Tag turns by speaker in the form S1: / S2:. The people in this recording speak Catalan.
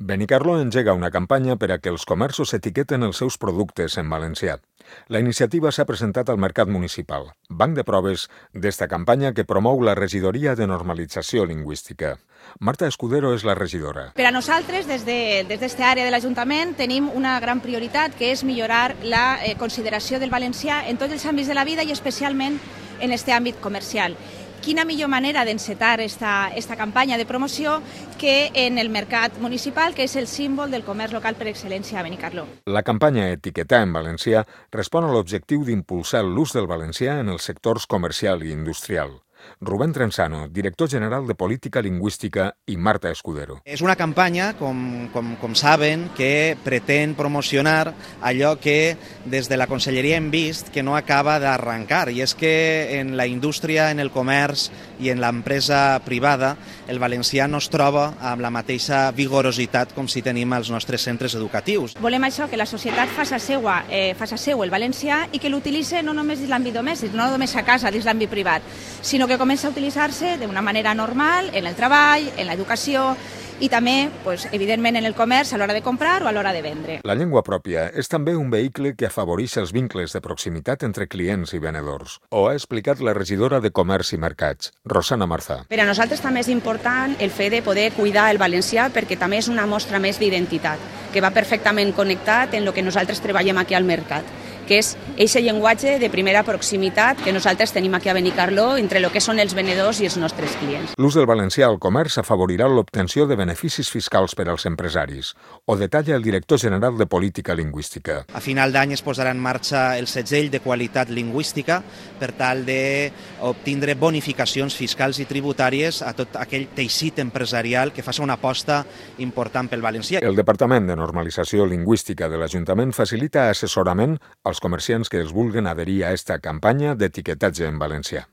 S1: Benicarló engega una campanya per a que els comerços etiqueten els seus productes en valencià. La iniciativa s'ha presentat al Mercat Municipal, banc de proves d'esta campanya que promou la Regidoria de Normalització Lingüística. Marta Escudero és la regidora.
S2: Per a nosaltres, des d'esta àrea de l'Ajuntament, tenim una gran prioritat, que és millorar la consideració del valencià en tots els àmbits de la vida i especialment en aquest àmbit comercial. Quina millor manera d'encetar esta campanya de promoció que en el mercat municipal, que és el símbol del comerç local per excel·lència a Benicarló.
S1: La campanya Etiquetar en valencià respon a l'objectiu d'impulsar l'ús del valencià en els sectors comercial i industrial. Rubén Trenzano, director general de Política Lingüística, i Marta Escudero.
S3: És una campanya, com saben, que pretén promocionar allò que des de la Conselleria hem vist que no acaba d'arrencar, i és que en la indústria, en el comerç i en l'empresa privada el valencià no es troba amb la mateixa vigorositat com si tenim als nostres centres educatius.
S2: Volem això, que la societat faça seu el valencià i que l'utilitzi no només dins l'àmbit domèstic, no només a casa, dins l'àmbit privat, sinó que comença a utilitzar-se d'una manera normal en el treball, en l'educació i també, evidentment, en el comerç a l'hora de comprar o a l'hora de vendre.
S1: La llengua pròpia és també un vehicle que afavoreix els vincles de proximitat entre clients i venedors. Ho ha explicat la regidora de Comerç i Mercats, Rosana Marzà.
S4: Per a nosaltres també és important el fet de poder cuidar el valencià perquè també és una mostra més d'identitat, que va perfectament connectat en el que nosaltres treballem aquí al mercat, que és aquest llenguatge de primera proximitat que nosaltres tenim aquí a Benicarló entre el que són els venedors i els nostres clients.
S1: L'ús del valencià al comerç afavorirà l'obtenció de beneficis fiscals per als empresaris. Ho detalla el director general de Política Lingüística.
S3: A final d'any es posarà en marxa el segell de qualitat lingüística per tal d'obtindre bonificacions fiscals i tributàries a tot aquell teixit empresarial que faci una aposta important pel valencià.
S1: El Departament de Normalització Lingüística de l'Ajuntament facilita assessorament als comerciants que es vulguen adherir a esta campanya d'etiquetatge en valencià.